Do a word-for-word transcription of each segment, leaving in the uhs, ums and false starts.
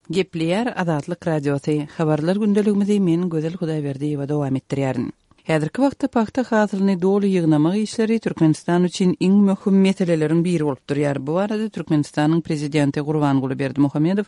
Gepleýär Azatlyk Radiosy, Habarlar gündeligimizi men Gözel Hudaýberdiýewa dowam etdirýärin. Häzirki wagtda pagta hasylyny doly ýygnamak işleri Türkmenistan üçin iň möhüm meseleleriň biri bolup durýar. Bu barada Türkmenistanyň Prezidenti Gurbanguly Berdimuhamedow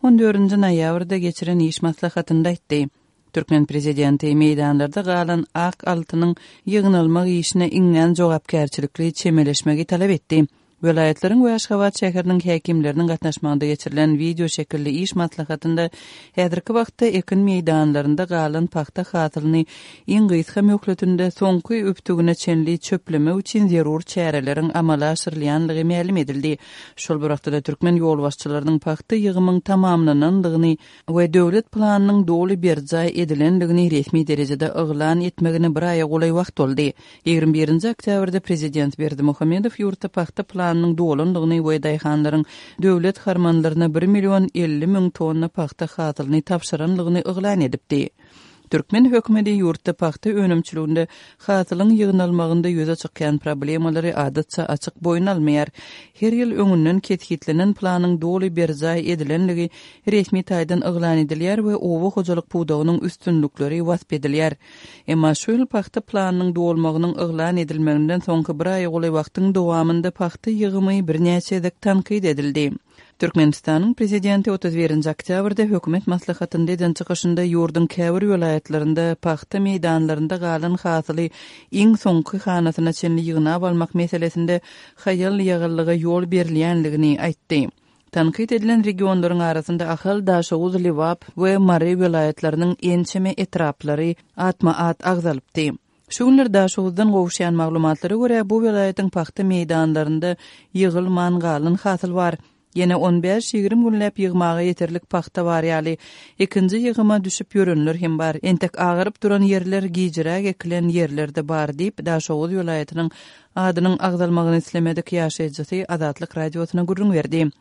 on dördünji noýabrda geçiren iş maslahatynda aýtdy. Türkmen prezidenti meýdanlarda galan ak altynyň ýygnalmak işine iňňän jogapkärçilikli çemeleşmegi talap etdi. Welaýatlaryň we Aşgabat şäheriniň häkimleriniň gatnaşmagynda geçirilen wideo şekilli iş maslahatynda häzirki wagtda ekin meýdanlarynda galan pagta hasylyny iň gysga möhletinde soňky übtügine çenli çöplemek üçin zerur çäreleriň amala aşyrylýandygy mälim edildi. Şol bir wagtda-da türkmen ýolbaşçylarynyň pagta ýygymyň tamamlanandygyny we döwlet planynyň doly berjaý edilendigini resmi derejede yglan etmegine bir aýa golaý wagt boldy. Ýigrimi birinji oktýabrda prezident Berdimuhamedow ýurtda pagta planynyň dolandygyny we daýhanlaryň döwlet harmanlaryna bir million elli müň tonna pagta hasylyny tabşyranlygyny yglan edipdi. Türkmen hökümeti ýurtda pagta önümçiliginde hasylyň ýygnalmagynda ýüze çykýan problemalary adatça açyk boýun almaýar. Her ýyl öňünden kesgitlenen planyň doly berjaý edilenligi resmi taýdan yglan edilýär we oba hojalyk pudagynyň üstünlikleri wasp edilýär. Emma şu ýyl pagta planynyň dolmagynyň yglan edilmeginden soňky bir aýa golaý wagtyň dowamynda pagta ýygymy birnäçe gezek tankyt edildi. Türkmenistanyň Prezidenti otuz birinji oktýabrda hökümet maslahatynda eden çykyşynda ýurduň käbir welaýatlarynda pagta meýdanlarynda galan hasyly iň soňky hanasyna çenli ýygnap almak meselesinde haýal-ýagallyga ýol berilýänligini aýtdy. Tankyt edilen regionlaryň arasynda Ahal, Daşoguz, Lebap we Mary welaýatlarynyň ençeme etraplary atma-at agzalypdy. Şu günler Daşoguzdan gowuşýan maglumatlara görä, bu welaýatyň pagta meýdanlarynda ýygylman galan hasyl bar. Ýene on bäş-ýigrimi günläp ýygmaga ýeterlik pagta bar ýaly. Ikinji ýygyma düşüp ýörenler hem bar. Entek agaryp duran ýerler, gijiräk ekilen ýerler-de bar diýip, Daşoguz welaýatynyň adynyň agzalmagyny islemedik ýaşaýjysy Azatlyk Radiosyna gürrüň berdi.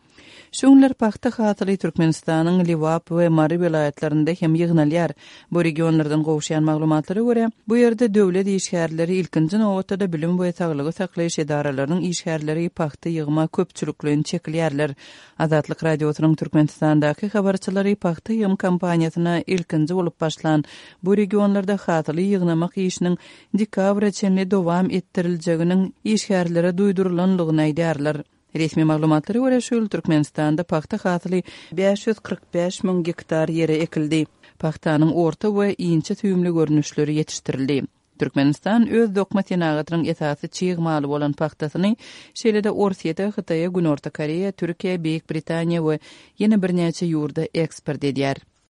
Şu günler pagta hasyly Türkmenistanyň Lebap we Mary welaýatlarynda hem ýygnalýar. Bu regionlardan gowuşýan maglumatlara görä, bu ýerde döwlet işgärleri, ilkinji nobatda-da bilim we saglygy saklaýyş edaralarynyň işgärleri pagta ýygyma köpçülikleýin çekilýärler. Azatlyk Radiosynyň Türkmenistandaky habarçylary pagta ýygym kampaniýasyna ilkinji bolup başlan bu regionlarda hasyly ýygnamak işiniň dekabra çenli dowam etdiriljeginiň işgärlere duýdurylanlygyny aýdýarlar. Resmi maglumatlara görä, şu ýyl Türkmenistanda pagta hasyly bäş ýüz kyrk bäş müň gektar ýere ekildi. Pagtanyň orta we inçe süýümli görnüşleri ýetişdirildi. Türkmenistan öz dokma senagatynyň esasy çig maly bolan pagtasyny, şeýle-de Orsýete, Hytaýa, Günorta Koreýa, Türkiýä, Beýik Britaniýa we ýene birnäçe ýurda eksport edýär.